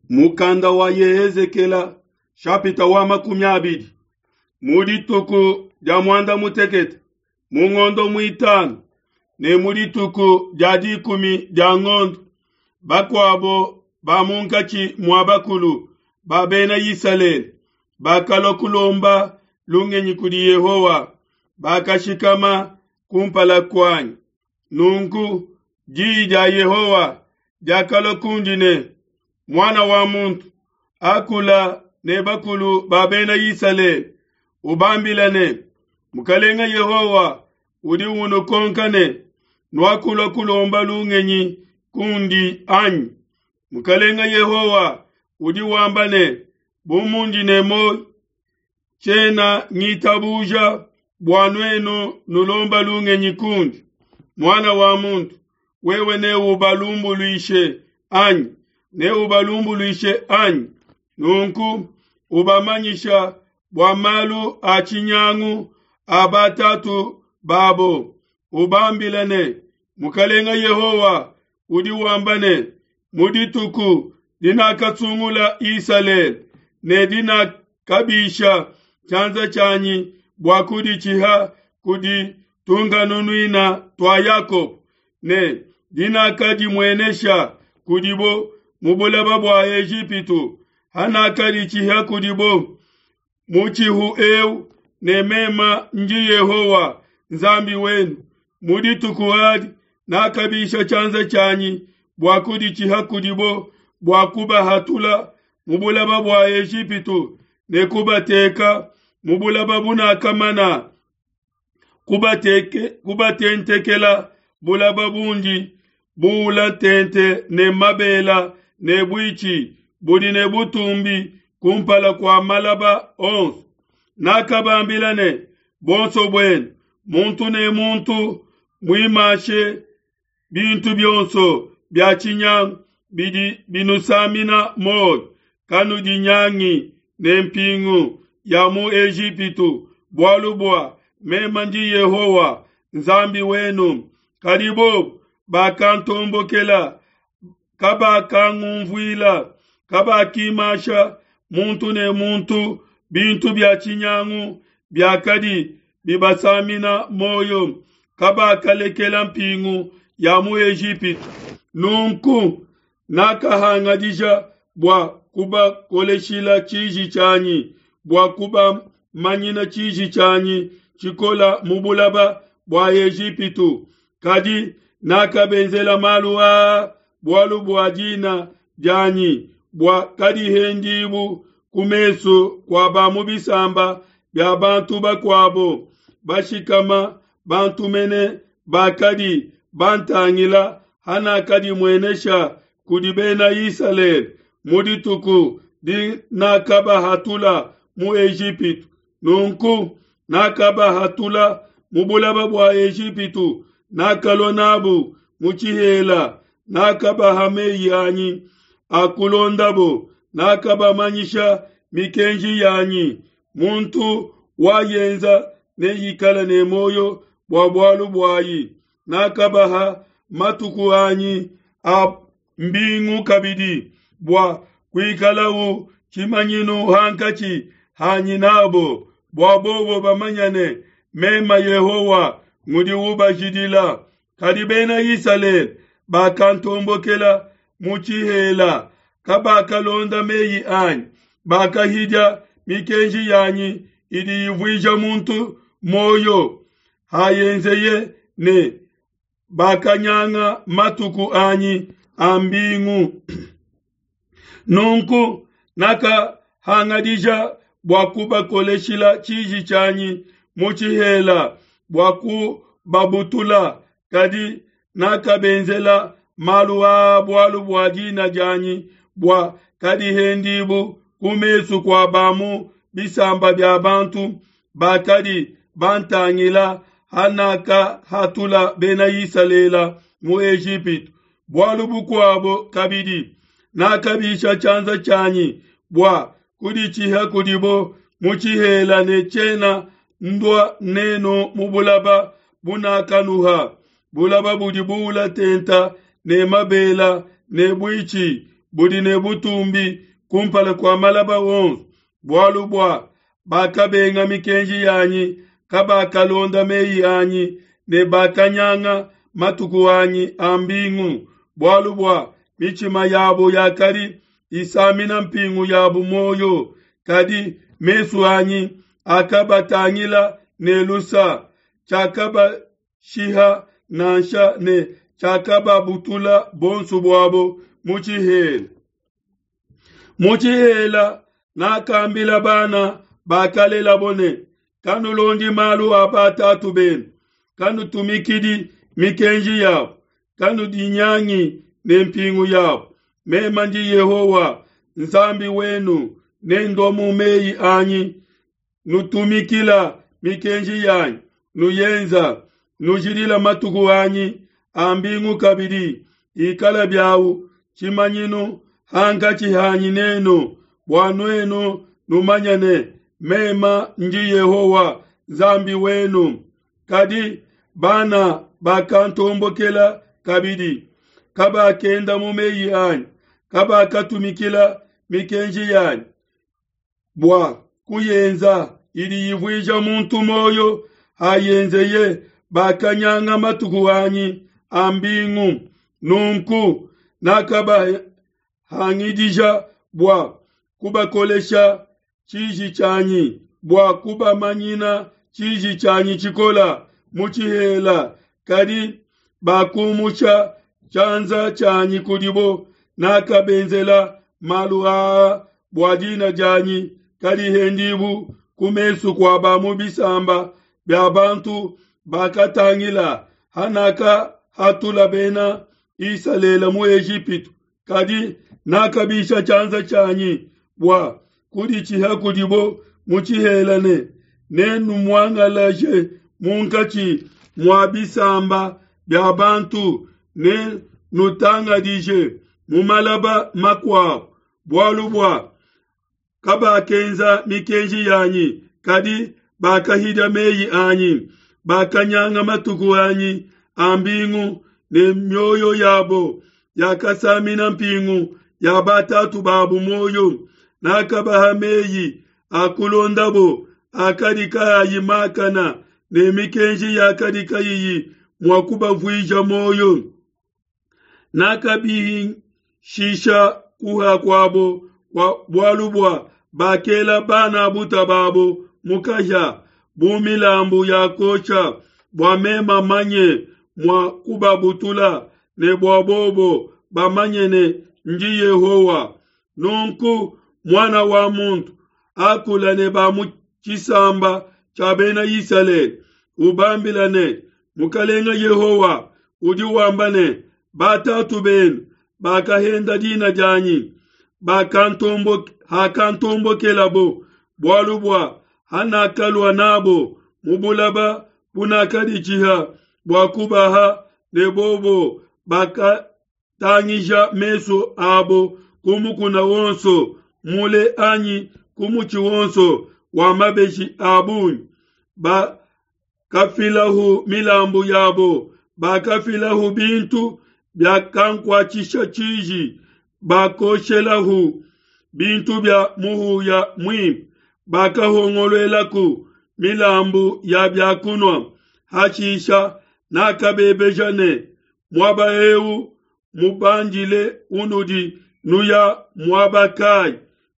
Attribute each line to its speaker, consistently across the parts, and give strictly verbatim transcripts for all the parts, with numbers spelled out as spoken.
Speaker 1: Mukanda wa Yehezekela shapita wa makumi abidi mu dituku dia muanda mutekete mu ngondo muitanu ne mu dituku dia dikumi dia ngondo bakuabo ba munkatshi mua bakulu ba bena Isalele bakalua kulomba lungenyi kudi Yehowa, bakashikama kumpala kuanyi. Nunku diyi dia Yehowa diakalua kundi ne, Muana wa muntu, akula ne bakulu ba bena Isalele, ubambila ne, Mukalenga Yehowa udi unukonka ne, nuakulua kulomba lungenyi kundi anyi? Mukalenga Yehowa udi wamba ne, bu mundi ne muoyo, tshiena ngitabuja bua nuenu nulomba lungenyi kundi. Muana wa muntu, wewe neubalumbuluishe anyi? Neubalumbuluishe anyi? Nunku ubamanyisha bua malu a tshinyangu a batatu babo, ubambila ne, Mukalenga Yehowa udi wamba ne, mu dituku dinakasungula Isalele ne dinakabisha tshianza tshianyi bua kuditshiha kudi tunkanunuina tua Yakobo ne dinakadimuenesha kudibo mu bulaba bua Ejipitu, hanakaditshiha kudibo mutshihu eu ne mema ndi Yehowa Nzambi wenu. Mu dituku adi nakabisha tshianza tshianyi bua kuditshiha kudibo bua kubahatula mu bulaba bua Ejipitu ne kubateka mu bulaba bunakamana kubateke kubatentekela bulaba bundi buula tente ne mabela ne buitshi budi ne butumbi kumpala kua malaba onso. Nakabambila ne, bonso buenu muntu ne muntu muimashe bintu bionso bia tshinyangu bidi binusamina muoyo, kanudinyangi ne mpingu ya mu Ejipitu, bualu bua mema ndi Yehowa Nzambi wenu. Kadi bobu bakantombokela, kabakangumvuila, kabakimasha muntu ne muntu bintu bia tshinyangu biakadi bibasamina muoyo, kabakalekela mpingu ya mu Ejipitu. Nunku nakahangadija bua kubakoleshila tshiji tshianyi, bua kubamanyina tshiji tshianyi tshikola mu bulaba bua Ejipitu. Kadi nakabenzela malu aa bualu bua dina dianyi, bua kadihendibu ku mesu kua ba mu bisamba bia bantu bakuabo bashikama bantu mene bakadi bantangila hanakadimuenesha kudi bena Isalele mu dituku dinakabahatula mu Ejipitu. Nunku nakabahatula mu bulaba bua Ejipitu, nakalua nabu mu tshihela, nakabaha meyi anyi a kulondabo, nakabamanyisha mikenji yanyi. Muntu wayenza neikale ne muoyo bua bualu buayi. Nakabaha matuku anyi a mbingu kabidi bua kuikalau tshimanyinu hankatshi hanyi nabo, bua bobo bamanyane mema Yehowa ngudi ubajidila. Kadi bena Isalele bakantombokela mu tshihela, kabakalonda meyi anyi, bakahidia mikenji yanyi idi ivuija muntu muoyo hayenzeye ne bakanyanga matuku anyi a mbingu. Nunku nakahangadija bua kubakoleshila tshiji tshianyi mu tshihela bua kubabutula, kadi nakabenzela malu aa bualu bua dina dianyi, bua kadihendibu ku mesu kua ba mu bisamba bia bantu bakadi bantangila hanakahatula bena Isalele mu Ejipitu. Bualu bukuabo kabidi, nakabisha tshianza tshianyi bua kuditshiha kudibo mu tshihela ne tshiena ndua nenu mu bulaba bunakanuha, bulaba budi buula tenta ne mabela ne buitshi budi ne butumbi kumpala kua malaba onso, bualu bua bakabenga mikenji yanyi, kabakalonda meyi anyi, ne bakanyanga matuku anyi a mbingu, bualu bua mitshima yabo yakadi isamina mpingu yabu muoyo. Kadi mesu anyi akabatangila ne lusa, tshiakabashiha nansha ne tshiakababutula bonso buabo mu tshihela. Mu tshihela nakambila bana bakalelabo ne, kanulondi malu a batatu benu, kanutumikidi mikenji yabo, kanudinyangi ne mpingu yabo. Meme ndi Yehowa Nzambi wenu, nendua mu meyi anyi, nutumikila mikenji yanyi, nuyenza, nujidila matuku anyi a mbingu kabidi, ikala biawu tshimanyinu hankatshi hanyi nenu, bua nuenu numanye ne, meme ndi Yehowa Nzambi wenu. Kadi bana bakantombokela kabidi, kabakenda mu meyi anyi, kabakatumikila mikenji yanyi bua kuyenza idi ivuija muntu moyo hayenzeye, bakanyanga matuku anyi a mbingu. Nunku nakabahangidija bua kubakolesha tshiji tshianyi, bua kubamanyina tshiji tshianyi tshikola mu tshihela. Kadi bakumusha tshianza tshianyi kudibo, nakabenzela malu aa bua dina dianyi kadihendibu ku mesu kua ba mu bisamba bia bantu bakatangila hanakahatula bena Isalele mu Ejipitu. Kadi nakabisha tshianza tshianyi bua kuditshiha kudibo mu tshihela ne, nenumuangalaje munkatshi mua bisamba bia bantu, ne nutangadije mu malaba makuabu, bualu bua kabakenza mikenji yanyi, kadi bakahidia meyi anyi, bakanyanga matuku anyi a mbingu, ne mioyo yabo yakasamina mpingu ya batatu babu moyo. Nakabaha meyi a kulondabo akadi kaayi makana, ne mikenji yakadi kayiyi mua kubavuija moyo. Nakabihishisha kuha kuabo kwa bualu bua bakela bana buta babo mukahya bu milambu ya kosha, bua mema manye mua kubabutula, ne bua bobo bamanye ne ndi Yehowa. Nunku mwana wa muntu, akula ne ba mu tshisamba tshia bena Isalele, ubambila ne, Mukalenga Yehowa udi wamba ne, batatu benu bakahenda dina dianyi, hakantombokelabo, bualu bua hanakalua nabo mu bulaba bunakaditshiha bua kubaha, ne bobo bakatangija mesu abo ku mukuna wonso mule anyi ku mutshi wonso wa mabeji a bungi, bakafilahu milambu yabo, bakafilahu bintu byakankuatshisha tshiji, bakoshelahu bintu bya muhuya muimpe, bakahongoluelaku milambu ya byakunwa. Hashisha nakabebeja ne, muaba eu mubandile unudi nuya muaba kai?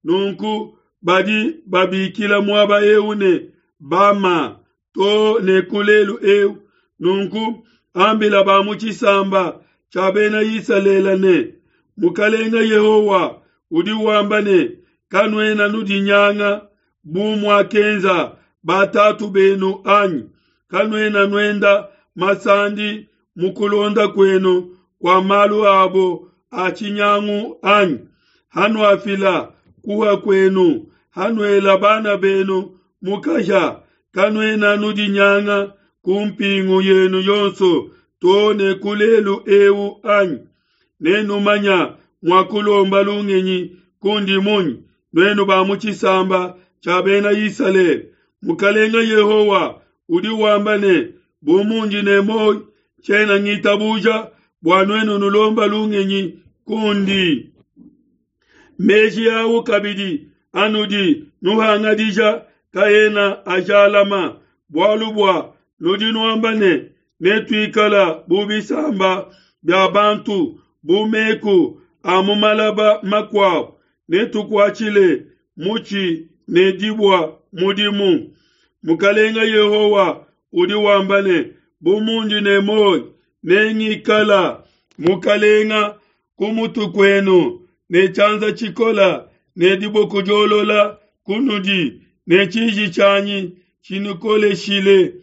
Speaker 1: Nunku badi babikila muaba eu ne Bama to ne kulelu eu. Nunku ambila ba mu tshisamba tshia bena Isalele ne, Mukalenga Yehowa udi wamba ne, kanuena nudinyanga bu muakenza batatu benu anyi? Kanuena nuenda masandi mu kulonda kwenu kwa malu abo a tshinyangu anyi? Hanuafila kuha kwenu, hanuela bana benu mukahya, kanuena nudinyanga ku mpingu yenu yonso to ne kulelu eu anyi? Nenumanya mua kulomba lungenyi kundi munyi, nuenu ba mu tshisamba tshia bena Isalele? Mukalenga Yehowa udi wamba ne, bu mundi ne muoyo, tshiena ngitabuja bua nuenu nulomba lungenyi kundi. Meji au kabidi anudi nuhangadija kaena ajalama, bualu bua nudi nuamba ne, netuikala bu bisamba bia bantu, bu meku a mu malaba makuabu, netukuatshile mutshi ne dibua mudimu. Mukalenga Yehowa udi wamba ne, bu mundi ne muoyo, nengikala mukalenga ku mutu kuenu ne tshianza tshikola ne diboko diolola kunudi ne tshiji tshianyi tshinukoleshile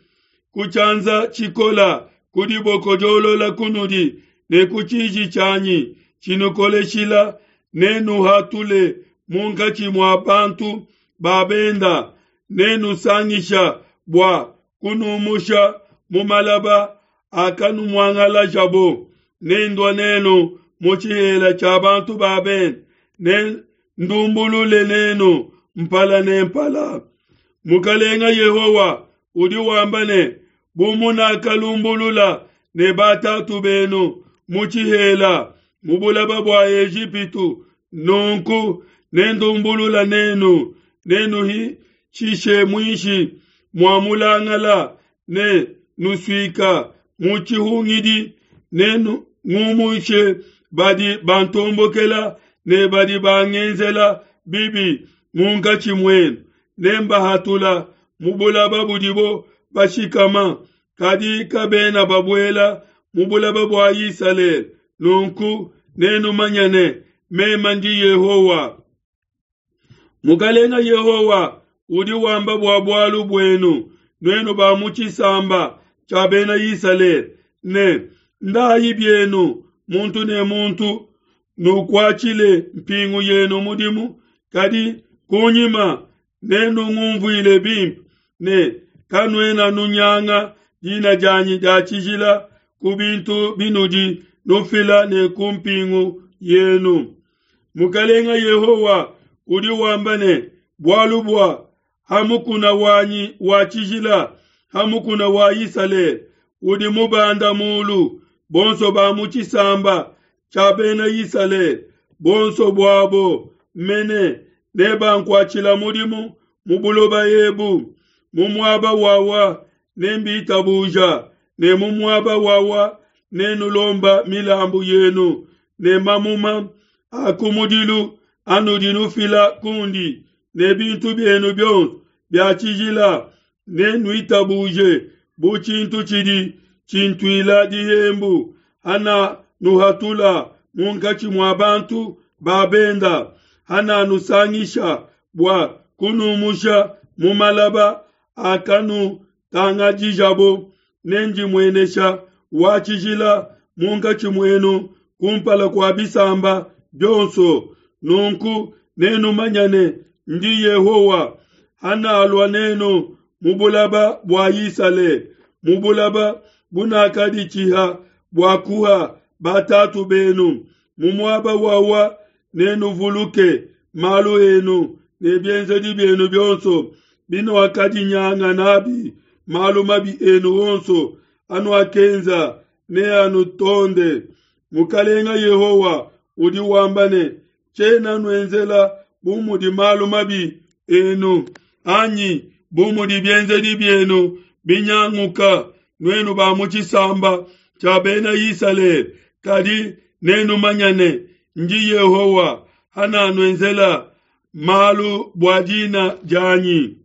Speaker 1: ku tshianza tshikola ku diboko diolola kunudi ne ku tshiji tshianyi tshinukoleshila nenuhatule munkatshi mua bantu ba benda nenusangisha bua kunumusha mu malaba akanumuangalajabo nendua nenu mu tshihela tshia bantu ba benda ne ndumbulule nenu mpala ne mpala. Mukalenga Yehowa udi wamba ne, bu munakalumbulula ne batatu benu mu tshihela mu bulaba bua Ejipitu, nunku nendumbulula nenu, nenuhitshishe muinshi mua mulangala ne nusuika mu tshihungidi, nengumushe badi bantombokela ne badi bangenzela bibi munkatshi muenu, nembahatula mu bulaba budibo bashikama, kadi kabena babuela mu bulaba bua Isalele. Nunku nenumanye ne, meme ndi Yehowa. Mukalenga Yehowa udi wamba bua bualu buenu, nuenu ba mu tshisamba tshia bena Isalele, ne ndayi bienu muntu ne muntu nukuatshile mpingu yenu mudimu, kadi kunyima nenungumvuile bimpe ne kanuena nunyanga dina dianyi dia tshijila ku bintu binudi nufila ne ku mpingu yenu. Mukalenga Yehowa udi wamba ne, bualu bua ha mukuna wanyi wa tshijila, ha mukuna wa Isalele udi mubanda mulu, bonso ba mu tshisamba tshia bena Isalele, bonso buabo mene nebankuatshila mudimu mu buloba ebu, mu muaba wawa nembitabuja, ne mu muaba wawa nenulomba milambu yenu ne mamuma a kumudilu anudi nufila kundi, ne bintu bienu bionso bia tshijila nenuitabuje bu tshintu tshidi tshintuila dihembu, hana nuhatula munkatshi mua bantu ba benda, hana nusangisha bua kunumusha mu malaba akanutangadijabo, nendimuenesha wa tshijila munkatshi muenu kumpala kua bisamba bionso. Nunku nenumanye ne, ndi Yehowa, hanalua nenu mu bulaba bua Isalele, mu bulaba bunakaditshiha bua kuha batatu benu, mu muaba wawa nenuvuluke malu enu ne bienzedi bienu bionso binuakadinyanga nabi, malu mabi enu onso anuakenza neanutonde. Mukalenga Yehowa udi wamba ne, tshiena nuenzela bu mudi malu mabi enu anyi bu mudi bienzedi bienu binyanguka, nuenu ba mu tshisamba tshia bena Isalele, kadi nenumanye ne, ndi Yehowa, hananuenzela malu bua dina dianyi.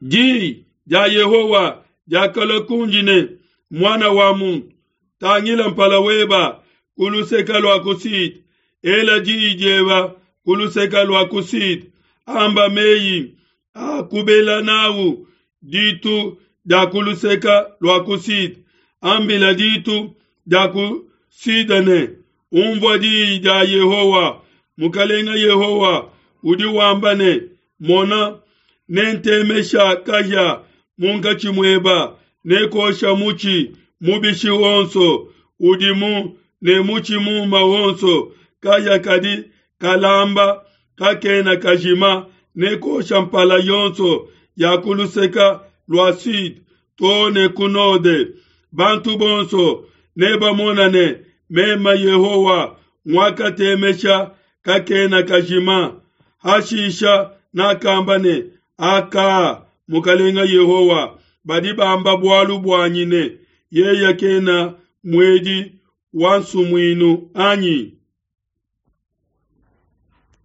Speaker 1: Di dia Yehowa diakalua kundi ne, mwana wa muntu, tangila mpala weba ku luseke lua ku sud, ela diyi dieba ku luseke lua ku sud, amba meyi a kubela nawu ditu dia ku luseke lua ku sud, ambila ditu dia ku sud ne, umvua diyi dia Yehowa. Mukalenga Yehowa udi wamba ne, mona, nentemesha kahia munkatshi mueba, nekosha mutshi mubishi wonso udimu ne mutshi muma wonso, kahia kadi kalamba kakena kajima, nekosha mpala yonso ya ku luseke lua sud to ne ku node. Bantu bonso nebamona ne, meme Yehowa nguakatemesha kakena kajima. Hashisha nakamba ne, Aka, Mukelenge Yehowa, badi bamba bualu buanyi ne, Yeye kena muedi wa nsumuinu, anyi?